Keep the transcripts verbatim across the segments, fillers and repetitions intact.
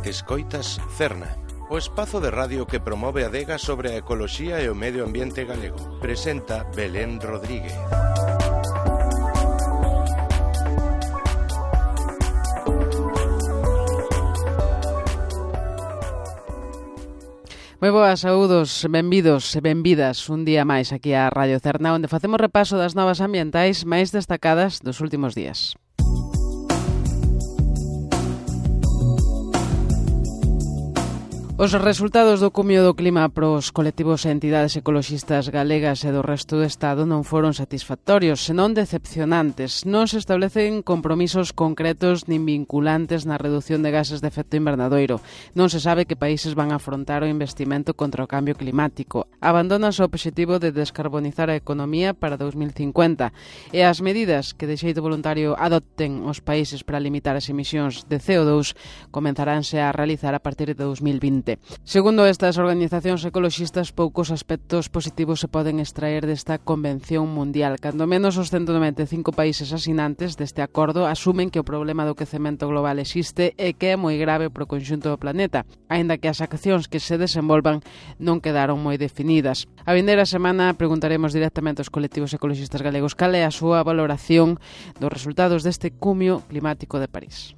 Escoitas Cerna, o espazo de radio que promove a adega sobre a ecoloxía e o medio ambiente galego. Presenta Belén Rodríguez. Moi boas, saúdos, benvidos e benvidas un día máis aquí a Radio Cerna, onde facemos repaso das novas ambientais máis destacadas dos últimos días. Os resultados do cumio do clima pros colectivos e entidades ecoloxistas galegas e do resto do Estado non foron satisfactorios, senón decepcionantes. Non se establecen compromisos concretos nin vinculantes na reducción de gases de efecto invernadoiro. Non se sabe que países van a afrontar o investimento contra o cambio climático. Abandonase o obxectivo de descarbonizar a economía para dos mil cincuenta e as medidas que de xeito voluntario adopten os países para limitar as emisións de C O dous comenzaránse a realizar a partir de dos mil vinte. Segundo estas organizacións ecoloxistas, poucos aspectos positivos se poden extraer desta Convención Mundial. Cando menos os ciento noventa e cinco países asinantes deste acordo asumen que o problema do quecemento global existe e que é moi grave para o conxunto do planeta, aínda que as accións que se desenvolvan non quedaron moi definidas. A vindeira semana preguntaremos directamente aos colectivos ecoloxistas galegos cal é a súa valoración dos resultados deste cumio climático de París.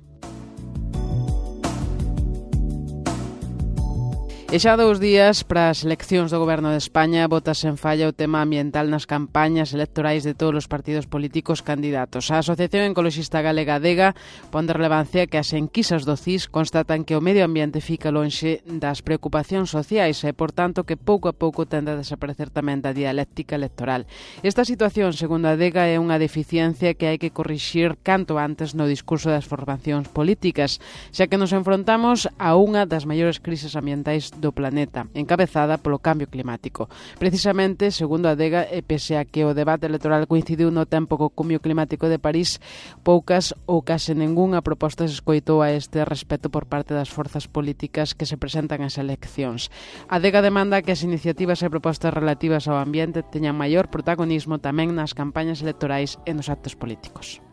E xa dous días para as eleccións do Goberno de España bótase en falla o tema ambiental nas campañas electorais de todos os partidos políticos candidatos. A Asociación Ecoloxista Galega ADEGA pon de relevancia que as enquisas do C I S constatan que o medio ambiente fica lonxe das preocupacións sociais e, por tanto, que pouco a pouco tende a desaparecer tamén da dialéctica electoral. Esta situación, segundo a ADEGA, é unha deficiencia que hai que corrixir canto antes no discurso das formacións políticas, xa que nos enfrontamos a unha das maiores crises ambientais do planeta, encabezada polo cambio climático. Precisamente, segundo a ADEGA, e pese a que o debate electoral coincidiu no tempo co cumio climático de París, poucas ou case ningunha proposta se escoitou a este respecto por parte das forzas políticas que se presentan ás eleccións. A ADEGA demanda que as iniciativas e propostas relativas ao ambiente teñan maior protagonismo tamén nas campañas electorais e nos actos políticos.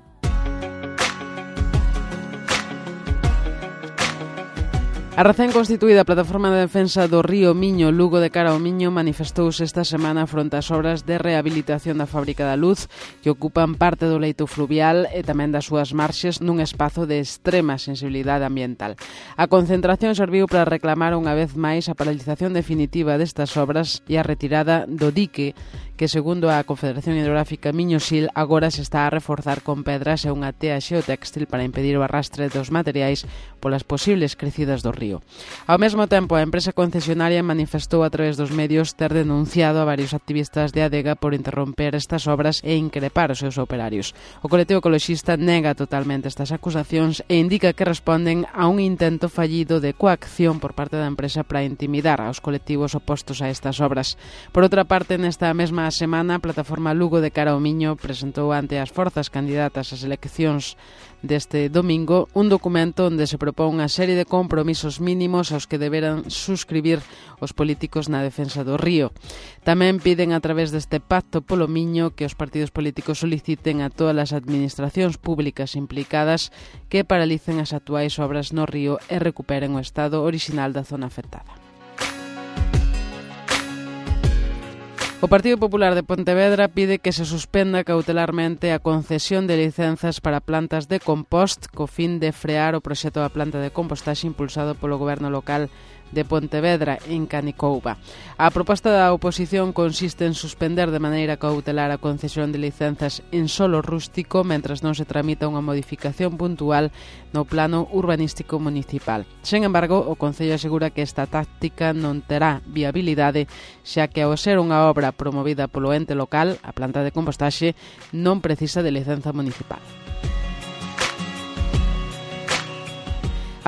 A recén constituída Plataforma de Defensa do Río Miño, Lugo de Cara ao Miño, manifestouse esta semana fronte ás obras de rehabilitación da Fábrica da Luz que ocupan parte do leito fluvial e tamén das súas marxes nun espazo de extrema sensibilidade ambiental. A concentración serviu para reclamar unha vez máis a paralización definitiva destas obras e a retirada do dique que, segundo a Confederación Hidrográfica Miño-Sil, agora se está a reforzar con pedras e unha tea xeotextil para impedir o arrastre dos materiais polas posibles crecidas do río. Ao mesmo tempo, a empresa concesionaria manifestou a través dos medios ter denunciado a varios activistas de ADEGA por interromper estas obras e increpar os seus operarios. O colectivo ecoloxista nega totalmente estas acusacións e indica que responden a un intento fallido de coacción por parte da empresa para intimidar aos colectivos opostos a estas obras. Por outra parte, nesta mesma semana, a Plataforma Lugo de Cara ao Miño presentou ante as forzas candidatas ás eleccións deste domingo un documento onde se propón unha serie de compromisos mínimos aos que deberán suscribir os políticos na defensa do río. Tamén piden a través deste pacto polo Miño que os partidos políticos soliciten a todas as administracións públicas implicadas que paralicen as actuais obras no río e recuperen o estado orixinal da zona afectada. O Partido Popular de Pontevedra pide que se suspenda cautelarmente a concesión de licenzas para plantas de compost co fin de frear o proxecto da planta de compostaxe impulsado polo goberno local de Pontevedra, en Canicouba. A proposta da oposición consiste en suspender de maneira cautelar a concesión de licenzas en solo rústico mentras non se tramita unha modificación puntual no plano urbanístico municipal. Sen embargo, o Concello asegura que esta táctica non terá viabilidade, xa que ao ser unha obra promovida polo ente local, a planta de compostaxe non precisa de licenza municipal.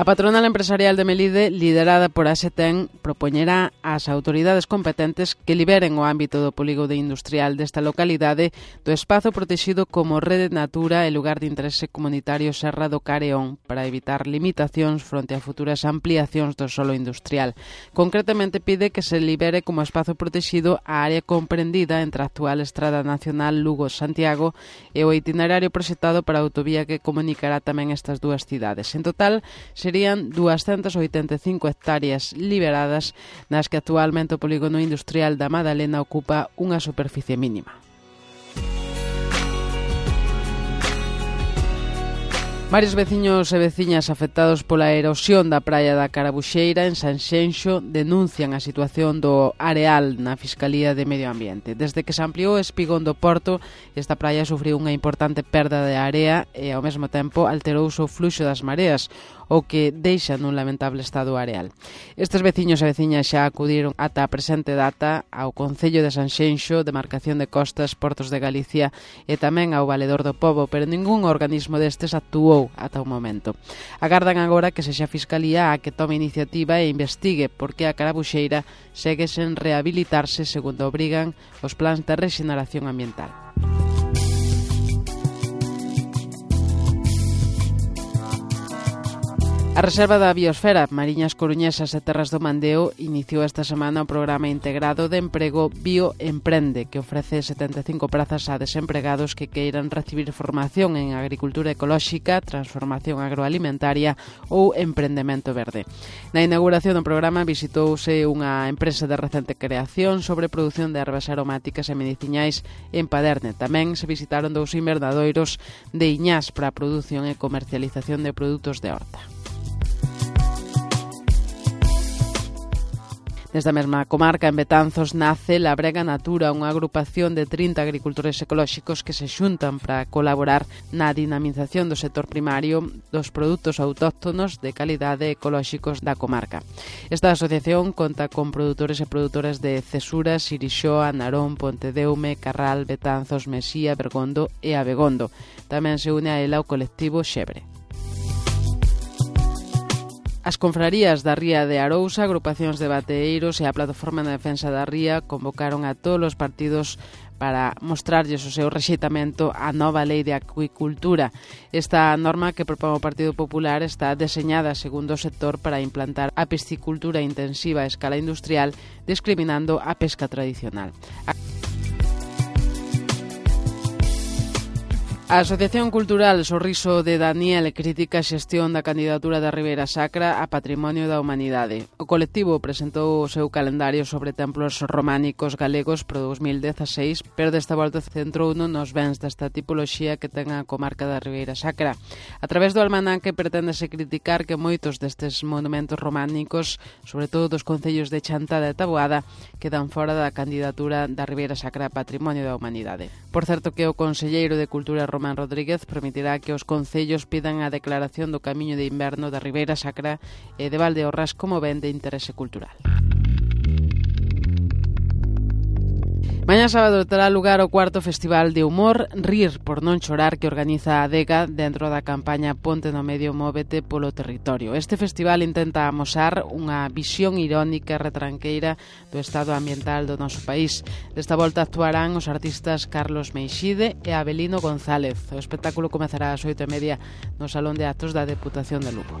A patronal empresarial de Melide, liderada por A S E T E N, propoñerá ás autoridades competentes que liberen o ámbito do polígono industrial desta localidade do espazo protexido como Rede Natura e lugar de interese comunitario Serra do Careón para evitar limitacións fronte a futuras ampliacións do solo industrial. Concretamente pide que se libere como espazo protexido a área comprendida entre a actual Estrada Nacional Lugo-Santiago e o itinerario proxectado para a autovía que comunicará tamén estas dúas cidades. En total, se serían doscientas oitenta e cinco hectáreas liberadas nas que actualmente o polígono industrial da Madalena ocupa unha superficie mínima. Varios veciños e veciñas afectados pola erosión da praia da Carabuxeira en Sanxenxo denuncian a situación do areal na Fiscalía de Medio Ambiente. Desde que se ampliou o espigón do porto, esta praia sufriu unha importante perda de area e ao mesmo tempo alterouse o fluxo das mareas, o que deixa nun lamentable estado areal. Estes veciños e veciñas xa acudiron ata a presente data ao Concello de Sanxenxo, Demarcación de Costas, Portos de Galicia e tamén ao Valedor do Pobo, pero ningún organismo destes actuou ata o momento. Agardan agora que sexa a Fiscalía a que tome iniciativa e investigue por que a Carabuxeira segue sen rehabilitarse segundo obrigan os plans de rexeneración ambiental. A Reserva da Biosfera, Mariñas Coruñesas e Terras do Mandeo iniciou esta semana o programa integrado de emprego Bioemprende, que ofrece setenta e cinco prazas a desempregados que queiran recibir formación en agricultura ecolóxica, transformación agroalimentaria ou emprendemento verde. Na inauguración do programa visitouse unha empresa de recente creación sobre produción de ervas aromáticas e mediciñais en Paderne. Tamén se visitaron dous invernadoiros de Iñás para a produción e comercialización de produtos de horta. Nesta mesma comarca, en Betanzos, nace Labrega Natura, unha agrupación de trinta agricultores ecolóxicos que se xuntan para colaborar na dinamización do sector primario dos produtos autóctonos de calidade ecolóxicos da comarca. Esta asociación conta con produtores e produtoras de Cesura, Sirixoa, Narón, Pontedeume, Carral, Betanzos, Mesía, Bergondo e Abegondo. Tamén se une a ela o colectivo Xebre. As confrarías da Ría de Arousa, agrupacións de bateeiros e a Plataforma de Defensa da Ría convocaron a todos os partidos para mostrarlles o seu rexeitamento á nova lei de acuicultura. Esta norma que propón o Partido Popular está deseñada segundo o sector para implantar a piscicultura intensiva a escala industrial, discriminando a pesca tradicional. A A Asociación Cultural Sorriso de Daniel critica a xestión da candidatura da Ribeira Sacra a Patrimonio da Humanidade. O colectivo presentou o seu calendario sobre templos románicos galegos pro dos mil dezaseis, pero desta volta centrouno nos bens desta tipoloxía que ten a comarca da Ribeira Sacra. A través do almanaque preténdese criticar que moitos destes monumentos románicos, sobre todo dos concellos de Chantada e Taboada, quedan fora da candidatura da Ribeira Sacra a Patrimonio da Humanidade. Por certo que o conselleiro de Cultura Román Rodríguez permitirá que os concellos pidan a declaración do Camiño de Inverno da Ribeira Sacra e de Valdeorras como ben de interese cultural. Mañá sábado terá lugar o cuarto Festival de Humor Rir por non chorar que organiza a Adega dentro da campaña Ponte no Medio Móvete polo Territorio. Este festival intenta amosar unha visión irónica e retranqueira do estado ambiental do noso país. Desta volta actuarán os artistas Carlos Meixide e Abelino González. O espectáculo comezará ás oito e media no Salón de Actos da Deputación de Lugo.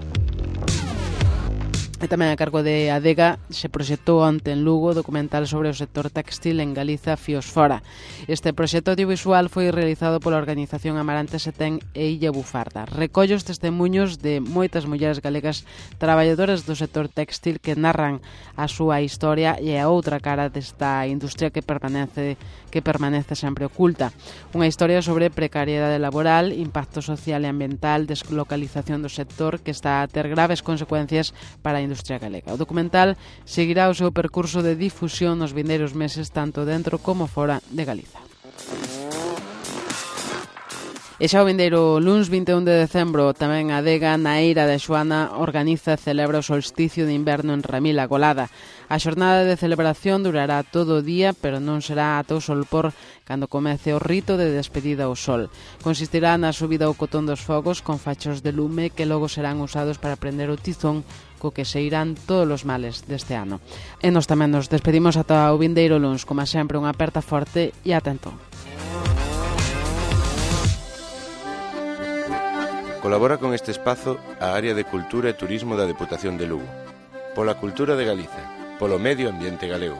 E tamén a cargo de Adega se proxectou onte en Lugo o documental sobre o sector textil en Galiza Fíos Fora. Este proxecto audiovisual foi realizado pola organización Amarante Setén e Illa Bufarda. Recolle os testemuños de moitas mulleres galegas traballadoras do sector textil que narran a súa historia e a outra cara desta industria que permanece que permanece sempre oculta. Unha historia sobre precariedade laboral, impacto social e ambiental, deslocalización do sector que está a ter graves consecuencias para a industria galega. O documental seguirá o seu percurso de difusión nos vindeiros meses tanto dentro como fora de Galiza. E xa o vindeiro luns vinte e un de decembro tamén a Adega na Eira de Xoana organiza e celebra o solsticio de inverno en Ramila Golada. A xornada de celebración durará todo o día, pero non será ata o solpor cando comece o rito de despedida ao sol. Consistirá na subida ao cotón dos fogos con fachos de lume que logo serán usados para prender o tizón co que se irán todos os males deste ano. E nos tamén nos despedimos ata o vindeiro luns, como sempre unha aperta forte e atento. Colabora con este espazo a Área de Cultura e Turismo da Deputación de Lugo. Pola cultura de Galiza, polo medio ambiente galego.